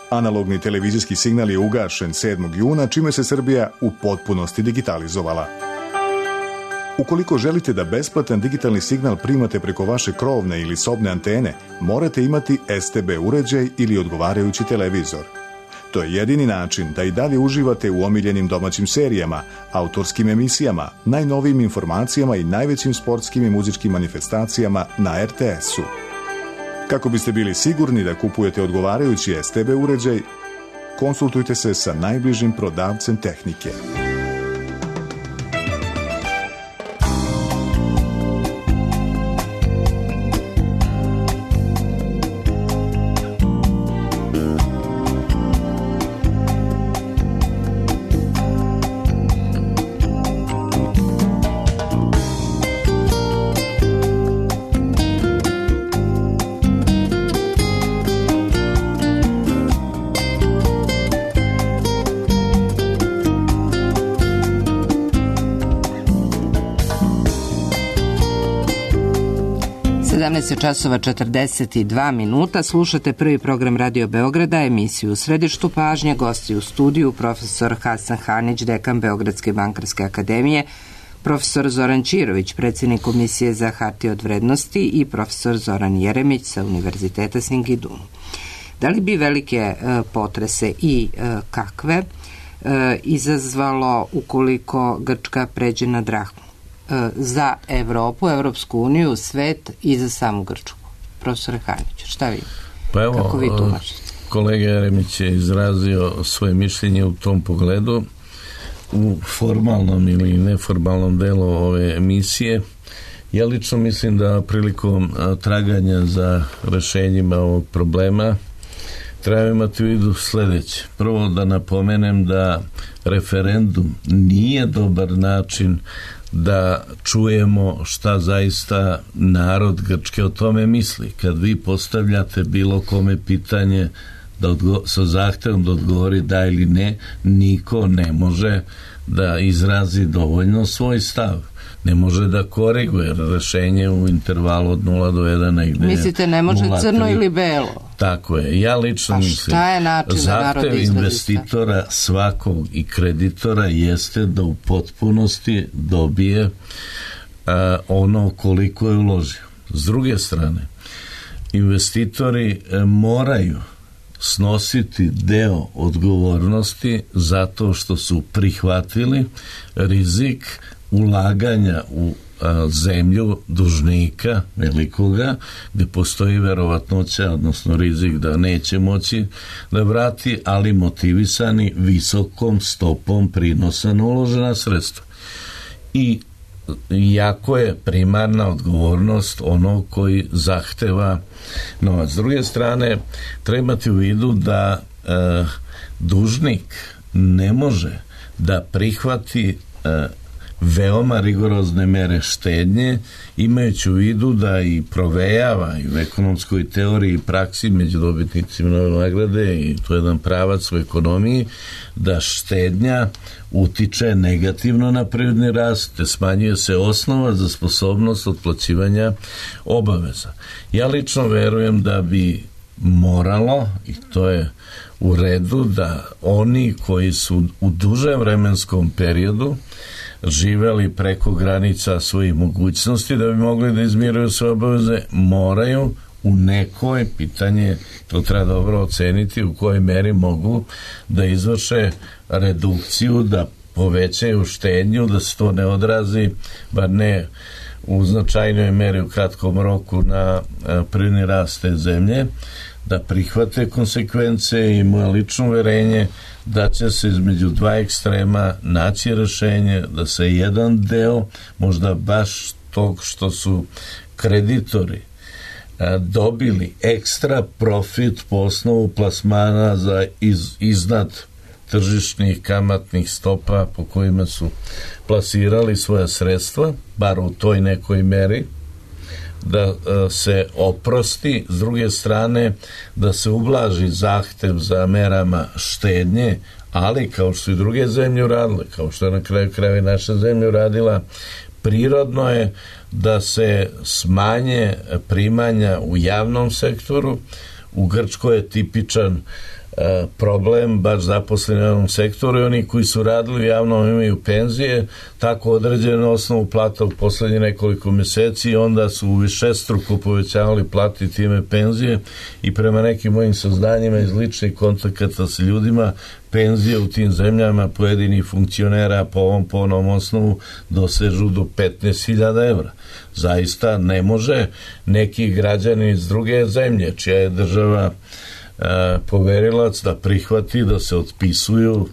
analogni televizijski signal je ugašen sedmog juna, čime se Srbija u potpunosti digitalizovala. Ukoliko želite da besplatan digitalni signal primate preko vaše krovne ili sobne antene, morate imati S T B uređaj ili odgovarajući televizor. To je jedini način da i dalje uživate u omiljenim domaćim serijama, autorskim emisijama, najnovijim informacijama i najvećim sportskim i muzičkim manifestacijama na R T S-u. Kako biste bili sigurni da kupujete odgovarajući S T B uređaj, konsultujte se sa najbližim prodavcem tehnike.
sedamnaest časova četrdeset dva minuta. Slušate prvi program Radio Beograda, emisiju U središtu pažnje, gosti u studiju, profesor Hasan Hanić, dekan Beogradske bankarske akademije, profesor Zoran Čirović, predsjednik Komisije za hartije od vrednosti i profesor Zoran Jeremić sa Univerziteta Singidunu. Da li bi velike e, potrese i e, kakve e, izazvalo ukoliko Grčka pređe na drahmu za Evropu, Evropsku uniju, svet i za samu Grčku? Profesor Hanić, šta vi?
Pa evo,
kako vi tumačite?
Kolega Jeremić je izrazio svoje mišljenje u tom pogledu. U formalnom ili neformalnom delu ove emisije, ja lično mislim da prilikom traganja za rešenjima ovog problema treba imati u vidu sledeće. Prvo da napomenem da referendum nije dobar način da čujemo šta zaista narod Grčke o tome misli. Kad vi postavljate bilo kome pitanje da odgo- sa zahtevom da odgovori da ili ne, niko ne može da izrazi dovoljno svoj stav. Ne može da koriguje rešenje u intervalu od nula do jedan. Negde
mislite ne može nula, crno ili belo?
Tako je. Ja lično mislim zahtev investitora svakog i kreditora jeste da u potpunosti dobije a, ono koliko je uložio. S druge strane, investitori a, moraju snositi deo odgovornosti zato što su prihvatili rizik ulaganja u a, zemlju dužnika velikoga, gde postoji verovatnoća, odnosno rizik da neće moći da vrati, ali motivisani visokom stopom prinosa na uložena sredstva. I jako je primarna odgovornost onog koji zahteva novac. S druge strane, treba imati u vidu da e, dužnik ne može da prihvati e, veoma rigorozne mere štednje, imajući u vidu da i provejava i u ekonomskoj teoriji i praksi među dobitnicima Nobelove nagrade, i to je jedan pravac u ekonomiji, da štednja utiče negativno na privredni rast, te smanjuje se osnova za sposobnost otplaćivanja obaveza. Ja lično verujem da bi moralo, i to je u redu, da oni koji su u dužem vremenskom periodu živeli preko granica svojih mogućnosti da bi mogli da izmiruju svoje obaveze, moraju u nekoj, pitanje, to treba dobro oceniti, u kojoj meri mogu da izvrše redukciju, da povećaju štednju, da se to ne odrazi, bar ne u značajnoj meri u kratkom roku na privredni rast te zemlje, da prihvate konsekvence i moje lično uverenje da će se između dva ekstrema naći rešenje, da se jedan deo, možda baš tog što su kreditori dobili ekstra profit po osnovu plasmana za iz, iznad tržišnih kamatnih stopa po kojima su plasirali svoja sredstva, bar u toj nekoj meri, da se oprosti, s druge strane da se ublaži zahtev za merama štednje, ali kao što i druge zemlje uradile, kao što je na kraju krajeva naša zemlja uradila, prirodno je da se smanje primanja u javnom sektoru. U Grčkoj je tipičan problem, baš zaposleni u javnom sektoru, i oni koji su radili u javnom imaju penzije, tako određenu osnovu plata u poslednje nekoliko meseci, i onda su višestruko povećavali plati time penzije, i prema nekim mojim saznanjima iz ličnih kontakata sa ljudima, penzije u tim zemljama pojedinih funkcionera po ovom po onom osnovu dosežu do petnaest hiljada evra. Zaista ne može neki građani iz druge zemlje, čija je država poverilac, da prihvati da se otpisuju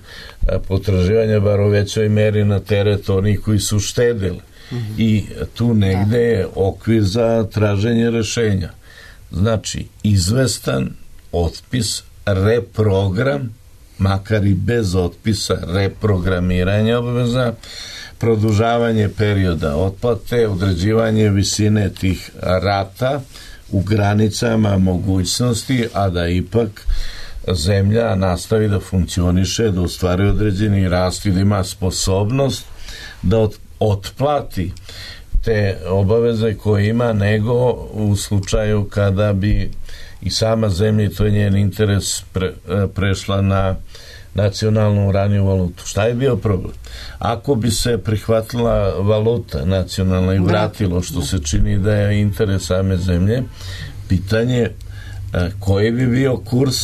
potraživanja bar u većoj meri na teret onih koji su štedili. Mm-hmm. I tu negde je okvir za traženje rešenja. Znači, izvestan otpis, reprogram, makar i bez otpisa, reprogramiranje obaveza, produžavanje perioda otplate, određivanje visine tih rata u granicama mogućnosti, a da ipak zemlja nastavi da funkcioniše, da ostvari određeni rast i da ima sposobnost da otplati te obaveze koje ima, nego u slučaju kada bi i sama zemlja, i to je njen interes, pre, prešla na nacionalnu raniju valutu. Šta je bio problem? Ako bi se prihvatila valuta nacionalna i vratilo, što se čini da je interes same zemlje, pitanje koji bi bio kurs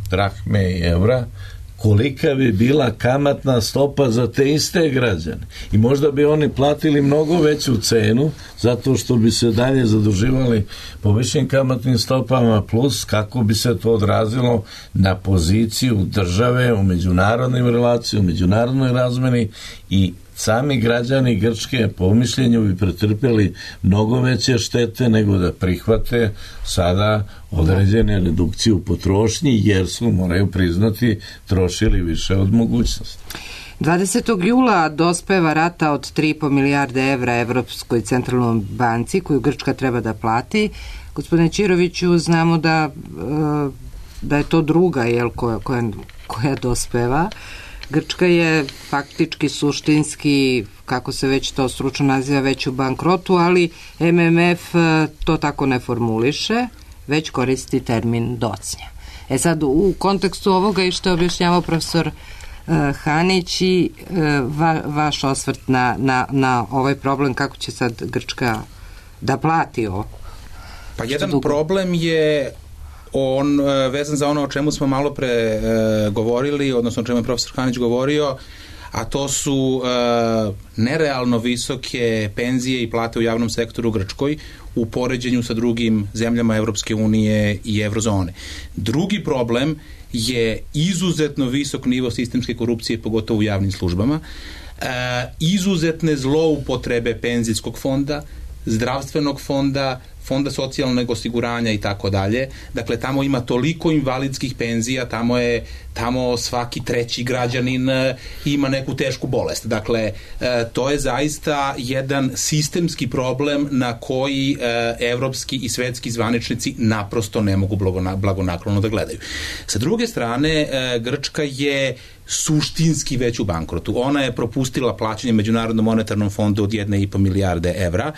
drahme i evra, kolika bi bila kamatna stopa za te iste građane. I možda bi oni platili mnogo veću cenu, zato što bi se dalje zaduživali po višim kamatnim stopama, plus kako bi se to odrazilo na poziciju države u međunarodnim relacijama, u međunarodnoj razmeni, i sami građani Grčke po mišljenju bi pretrpeli mnogo veće štete nego da prihvate sada određene redukcije u potrošnji, jer su, moraju priznati, trošili više od mogućnosti.
dvadesetog jula dospeva rata od tri i po milijarde evra Evropskoj centralnoj banci koju Grčka treba da plati. Gospodine Ćiroviću, znamo da, da je to druga, jel, koja, koja, koja dospeva. Grčka je faktički, suštinski, kako se već to stručno naziva, već u bankrotu, ali M M F to tako ne formuliše, već koristi termin docnja. E sad, u kontekstu ovoga i što je objašnjavao profesor uh, Hanić i uh, va, vaš osvrt na, na, na ovaj problem, kako će sad Grčka da plati ovo?
Pa jedan dugo? problem je on vezan za ono o čemu smo malo pre e, govorili, odnosno o čemu je profesor Hanić govorio, a to su e, nerealno visoke penzije i plate u javnom sektoru u Grčkoj u poređenju sa drugim zemljama Evropske unije i Evrozone. Drugi problem je izuzetno visok nivo sistemske korupcije, pogotovo u javnim službama, e, izuzetne zloupotrebe penzijskog fonda, zdravstvenog fonda, fonda socijalnog osiguranja i tako dalje. Dakle, tamo ima toliko invalidskih penzija, tamo je tamo svaki treći građanin ima neku tešku bolest. Dakle, to je zaista jedan sistemski problem na koji evropski i svetski zvaničnici naprosto ne mogu blagonaklono da gledaju. Sa druge strane, Grčka je suštinski već u bankrotu. Ona je propustila plaćanje Međunarodnom monetarnom fondu od jedne i po milijarde evra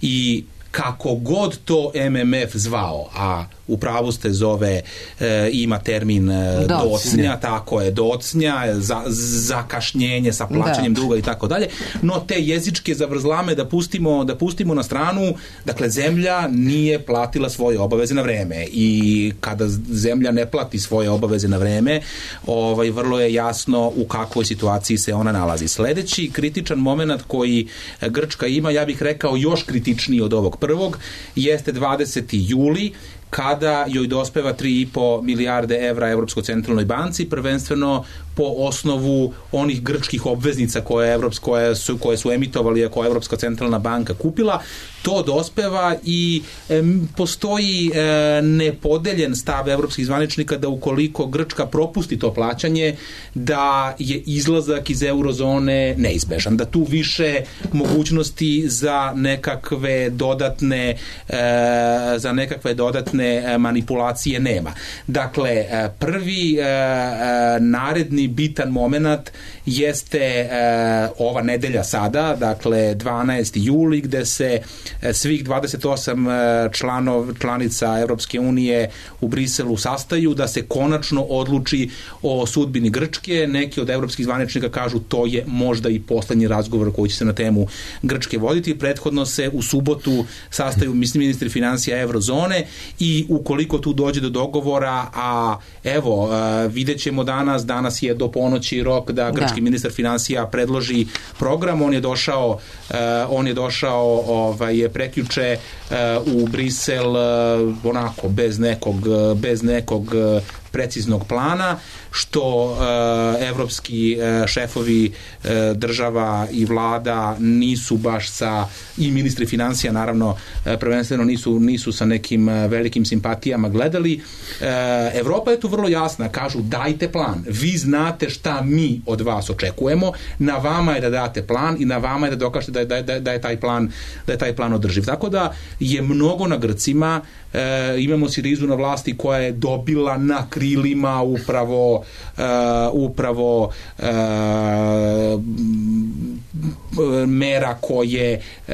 i kako god to M M F zvao, a u pravu ste zove, e, ima termin e, docnja, tako je, docnja, za, zakašnjenje sa plaćanjem da. duga i tako dalje, no te jezičke zavrzlame da pustimo, da pustimo na stranu, dakle zemlja nije platila svoje obaveze na vreme i kada zemlja ne plati svoje obaveze na vreme, ovaj, vrlo je jasno u kakvoj situaciji se ona nalazi. Sledeći kritičan moment koji Grčka ima, ja bih rekao još kritičniji od ovog prvog, jeste dvadeseti juli, kada joj dospeva tri i po milijarde evra Evropskoj centralnoj banci, prvenstveno po osnovu onih grčkih obveznica koje, Evropsko, koje, su, koje su emitovali, koje Evropska centralna banka kupila. To dospeva i e, postoji e, nepodeljen stav evropskih zvaničnika da ukoliko Grčka propusti to plaćanje, da je izlazak iz eurozone neizbežan, da tu više mogućnosti za nekakve dodatne e, za nekakve dodatne manipulacije nema. Dakle, prvi e, naredni bitan moment jeste e, ova nedelja sada, dakle dvanaesti juli, gde se svih dvadeset osam članov, članica Evropske unije u Briselu sastaju da se konačno odluči o sudbini Grčke. Neki od evropskih zvaničnika kažu to je možda i poslednji razgovor koji će se na temu Grčke voditi. Prethodno se u subotu sastaju ministri finansija eurozone i ukoliko tu dođe do dogovora, a evo, vidjet ćemo danas, danas je do ponoći rok da grčki da. ministar finansija predloži program, on je došao on je došao ovaj, prekjuče u Brisel onako bez nekog, bez nekog preciznog plana, što e, evropski e, šefovi e, država i vlada nisu baš sa, i ministri finansija naravno e, prvenstveno nisu, nisu sa nekim velikim simpatijama gledali. E, Evropa je tu vrlo jasna, kažu dajte plan, vi znate šta mi od vas očekujemo, na vama je da date plan i na vama je da dokažete da je, da je, da je taj plan da je taj plan održiv. Tako da je mnogo na Grcima. E, imamo Sirizu na vlasti koja je dobila na krilima upravo uh, upravo uh, mera koje uh,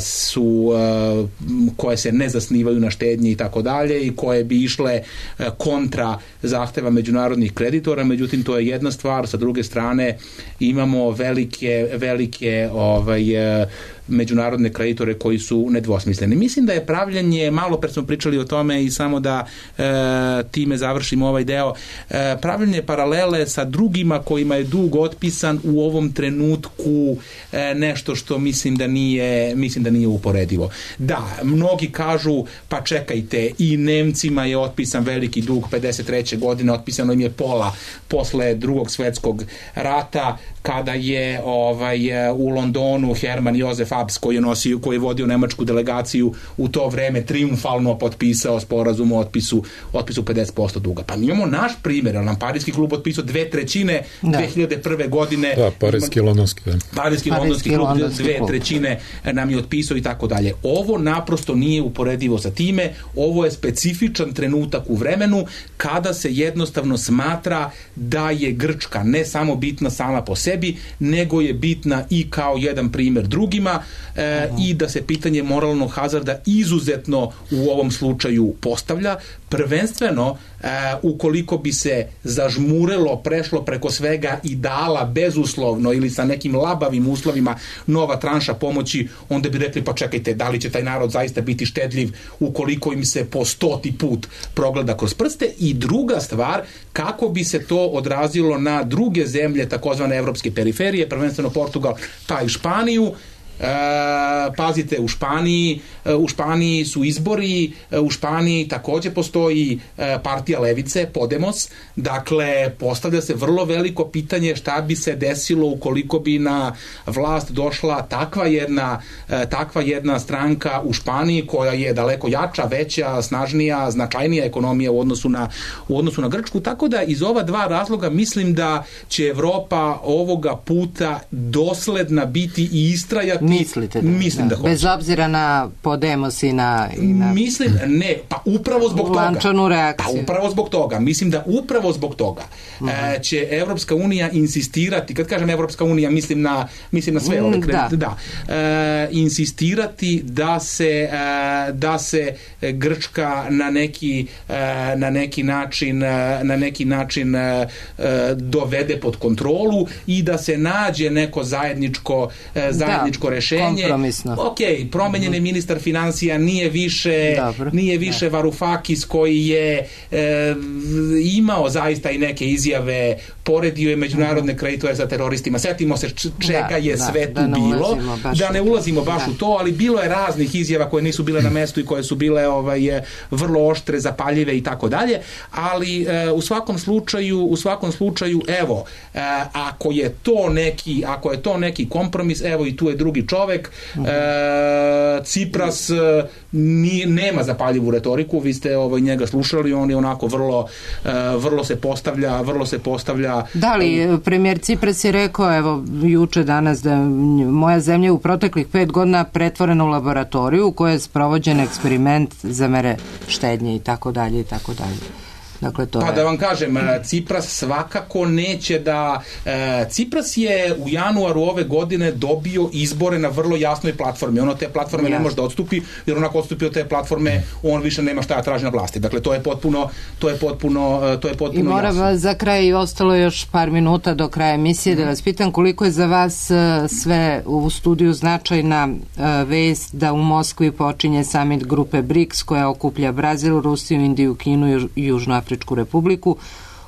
su uh, koje se ne zasnivaju na štednji i tako dalje i koje bi išle uh, kontra zahteva međunarodnih kreditora. Međutim, to je jedna stvar, sa druge strane imamo velike velike ovaj uh, međunarodne kreditore koji su nedvosmisleni. Mislim da je pravljanje, malo pre smo pričali o tome i samo da e, time završimo ovaj deo, e, pravljanje paralele sa drugima kojima je dug otpisan u ovom trenutku e, nešto što mislim da nije mislim da nije uporedivo. Da, mnogi kažu pa čekajte, i Nemcima je otpisan veliki dug pedeset treće godine, otpisano im je pola posle drugog svetskog rata, kada je ovaj u Londonu Herman Josef Abs, koji je nosio, koji je vodio nemačku delegaciju u to vreme, triumfalno potpisao sporazum o otpisu, otpisu pedeset posto duga. Pa mi imamo naš primjer, nam Parijski klub otpisao dve trećine da. dve hiljade prve godine.
Da, Parijski i Londonski. Da.
Parijski i Londonski klub dve trećine nam je otpisao i tako dalje. Ovo naprosto nije uporedivo sa time, ovo je specifičan trenutak u vremenu kada se jednostavno smatra da je Grčka ne samo bitna sama po sebi, nego je bitna i kao jedan primjer drugima e, i da se pitanje moralnog hazarda izuzetno u ovom slučaju postavlja, prvenstveno e, ukoliko bi se zažmurelo, prešlo preko svega i dala bezuslovno ili sa nekim labavim uslovima nova tranša pomoći, onda bi rekli pa čekajte, da li će taj narod zaista biti štedljiv ukoliko im se po stoti put progleda kroz prste. I druga stvar, kako bi se to odrazilo na druge zemlje takozvane evropske periferije, prvenstveno Portugal pa i Španiju. E, pazite, u Španiji u Španiji su izbori, u Španiji takođe postoji partija levice, Podemos, dakle postavlja se vrlo veliko pitanje šta bi se desilo ukoliko bi na vlast došla takva jedna takva jedna stranka u Španiji koja je daleko jača, veća, snažnija, značajnija ekonomija u odnosu na u odnosu na Grčku, tako da iz ova dva razloga mislim da će Evropa ovoga puta dosledna biti i istrajati
Mislite da,
mislim da, da hoće.
Bez obzira na Podemos i na... I na...
Mislim, ne, pa upravo zbog toga.
Lančanu reakciju.
Pa upravo zbog toga. Mislim da upravo zbog toga uh, će Evropska unija insistirati, kad kažem Evropska unija, mislim na, mislim na sve ove kredite, da. da. Uh, insistirati da se, uh, da se Grčka na neki, uh, na neki način, uh, na neki način uh, dovede pod kontrolu i da se nađe neko zajedničko, zajedničko
da,
rešenje.
Kompromisno.
Ok, promenjen je ministar financija, nije više, Dobro. nije više da. Varoufakis koji je e, imao zaista i neke izjave, poredio je međunarodne kreditore sa teroristima. Setimo se čega da, je da, sve tu da bilo. Da ne ulazimo baš da. u to, ali bilo je raznih izjava koje nisu bile na mestu i koje su bile ovaj, vrlo oštre, zapaljive i tako dalje, ali e, u svakom slučaju, u svakom slučaju, evo, e, ako je to neki, ako je to neki kompromis, evo i tu je drugi čovek, uh-huh. e, Cipras ni, nema zapaljivu retoriku, vi ste ovaj, njega slušali, on je onako vrlo, e, vrlo se postavlja, vrlo se postavlja.
Da li, premijer Cipras je rekao, evo, juče danas, da moja zemlja u proteklih pet godina pretvorena u laboratoriju u kojoj je sprovođen eksperiment za mere štednje i tako dalje i tako dalje. Dakle, to
pa
je...
da vam kažem, Cipras svakako neće da... Cipras je u januaru ove godine dobio izbore na vrlo jasnoj platformi. On od te platforme ja. ne može da odstupi, jer onako odstupi od te platforme, on više nema šta da traži na vlasti. Dakle, to je potpuno, to je potpuno, to je potpuno
I moram
jasno.
Za kraj, ostalo još par minuta do kraja emisije, mm-hmm. da vas pitam koliko je za vas sve u studiju značajna vest da u Moskvi počinje samit grupe BRICS koja okuplja Brazil, Rusiju, Indiju, Kinu i Južnoafričku Republiku.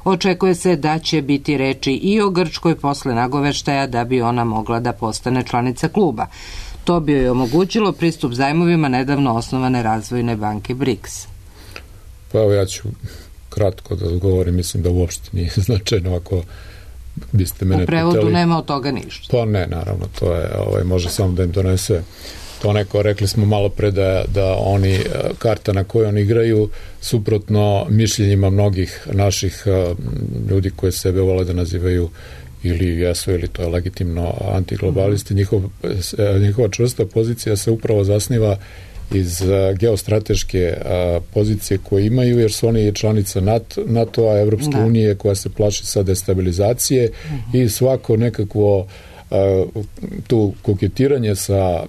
Očekuje se da će biti reči i o Grčkoj posle nagoveštaja da bi ona mogla da postane članica kluba. To bi joj omogućilo pristup zajmovima nedavno osnovane razvojne banke BRICS.
Pa evo ja ću kratko da odgovorim, mislim da uopšte nije značajno ako biste mene pitali.
U prevodu pitali. Nema od toga ništa.
Pa ne, naravno, to je, ovaj, može samo da im donese to neko, rekli smo malo pre da, da oni, karta na kojoj oni igraju, suprotno mišljenjima mnogih naših ljudi koje sebe vole da nazivaju ili jesu, ili to je legitimno antiglobalisti, njihov, njihova čvrsta pozicija se upravo zasniva iz geostrateške pozicije koje imaju, jer su oni članica NATO-a, Evropske da. unije, koja se plaši sa destabilizacije uh-huh. i svako nekakvo tu koketiranje sa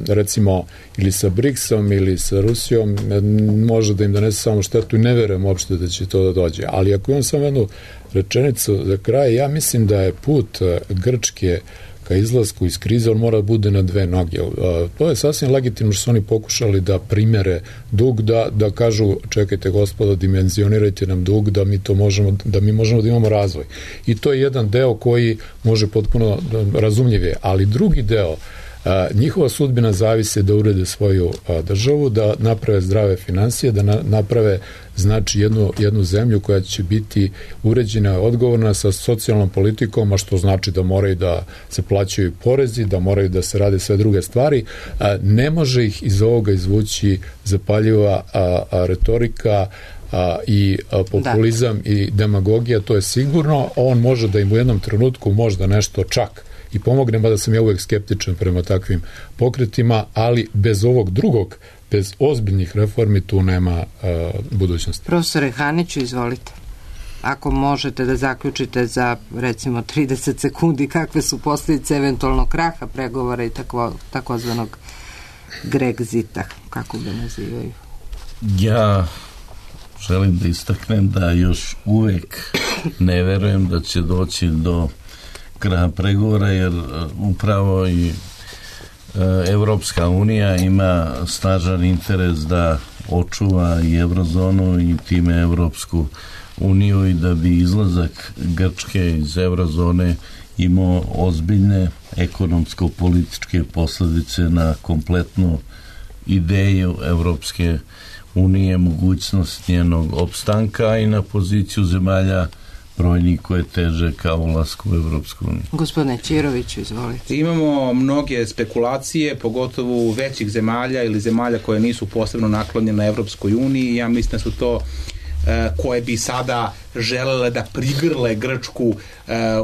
recimo ili sa BRICS-om ili sa Rusijom može da im donese samo štetu i ne verujem uopšte da će to da dođe. Ali ako imam samo jednu rečenicu za kraj, ja mislim da je put Grčke ka izlasku iz krize, on mora da bude na dve noge. To je sasvim legitimno što su oni pokušali da primere dug, da, da kažu, čekajte gospodo, dimenzionirajte nam dug, da mi to možemo, da mi možemo da imamo razvoj. I to je jedan deo koji može potpuno razumljivije, ali drugi deo, a, njihova sudbina zavise da urede svoju a, državu, da naprave zdrave financije, da na, naprave znači jednu, jednu zemlju koja će biti uređena, odgovorna sa socijalnom politikom, a što znači da moraju da se plaćaju porezi, da moraju da se rade sve druge stvari. A, ne može ih iz ovoga izvući zapaljiva a, a, retorika a, i a, populizam da. i demagogija, to je sigurno. On može da im u jednom trenutku možda nešto čak i pomogne, mada sam ja uvek skeptičan prema takvim pokretima, ali bez ovog drugog, bez ozbiljnih reformi tu nema uh, budućnosti.
Profesore Haniću, izvolite. Ako možete da zaključite za recimo trideset sekundi kakve su posljedice eventualnog kraha pregovora i tako, takozvanog Grexita, kako ga nazivaju.
Ja želim da istaknem da još uvek ne verujem da će doći do kraja pregovora, jer upravo i Evropska unija ima snažan interes da očuva i eurozonu i time Evropsku uniju i da bi izlazak Grčke iz eurozone imao ozbiljne ekonomsko-političke posljedice na kompletnu ideju Evropske unije, mogućnost njenog opstanka i na poziciju zemalja brojni koje teže kao ulasku u Evropsku uniju.
Gospodine Ćiroviću, izvolite.
Imamo mnoge spekulacije, pogotovo većih zemalja ili zemalja koje nisu posebno naklonjene na Evropskoj uniji. Ja mislim da su to koje bi sada želele da prigrle Grčku uh,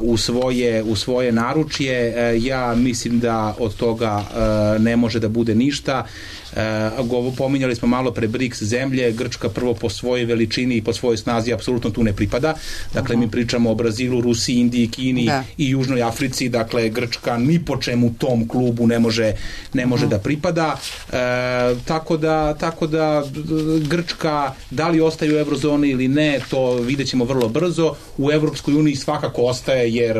u svoje u svoje naručje. Uh, ja mislim da od toga uh, ne može da bude ništa. Uh, pominjali smo malo pre BRICS zemlje, Grčka prvo po svojoj veličini i po svojoj snazi apsolutno tu ne pripada. Dakle, uh-huh. mi pričamo o Brazilu, Rusiji, Indiji, Kini da. i Južnoj Africi. Dakle, Grčka ni po čemu tom klubu ne može, ne može uh-huh. da pripada. Uh, tako da, tako da Grčka, da li ostaje u eurozoni ili ne, to vidjet ćemo vrlo brzo. U Evropskoj uniji svakako ostaje, jer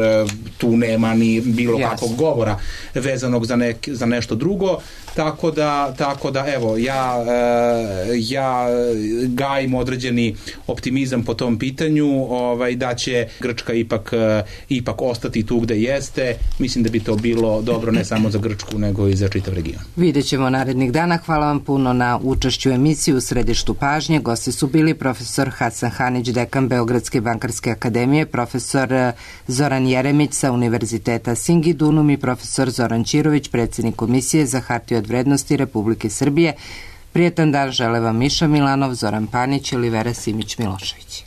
tu nema ni bilo yes. kakvog govora vezanog za, nek, za nešto drugo. Tako da, tako da evo, ja, ja gajim određeni optimizam po tom pitanju, ovaj, da će Grčka ipak, ipak ostati tu gde jeste. Mislim da bi to bilo dobro ne samo za Grčku, nego i za čitav region.
Vidjet ćemo narednih dana. Hvala vam puno na učešću u emisiji. U središtu pažnje gosti su bili profesor Hasan Hanić, dekan Beogradske bankarske akademije, profesor Zoran Jeremić sa Univerziteta Singidunum i profesor Zoran Ćirović, predsjednik Komisije za hartije od vrednosti Republike Srbije. Prijetan dan žele vam Miša Milanov, Zoran Panić i Olivera Simić Milošević.